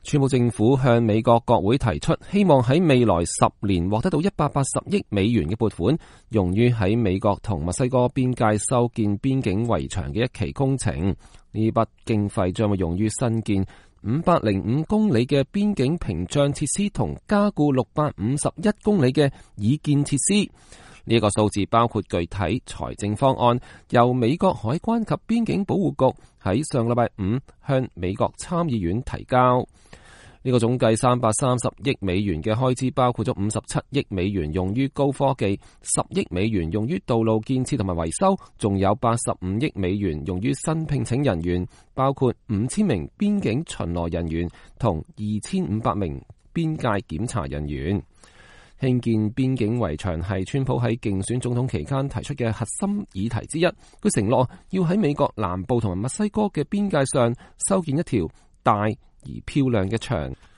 川普政府向美國國會提出，希望喺未來10年獲得到180億美元嘅撥款，用於喺美國同墨西哥邊界修建邊境圍牆嘅一期工程。呢筆經費將會用於新建505公里嘅邊境屏障設施同加固651公里嘅已建設施。呢個數字包括具體財政方案，由美國海關及邊境保護局喺上禮拜5向美國參議院提交。呢個總計330億美元嘅開支，包括咗57億美元用於高科技，10億美元用於道路建設同埋維修，仲有85億美元用於新聘請人員，包括5000名邊境巡邏人員同2500名邊界檢查人員。興建邊境圍牆係川普喺競選總統期間提出嘅核心議題之一。佢承諾要喺美國南部同埋墨西哥嘅邊界上修建一條大而漂亮嘅牆。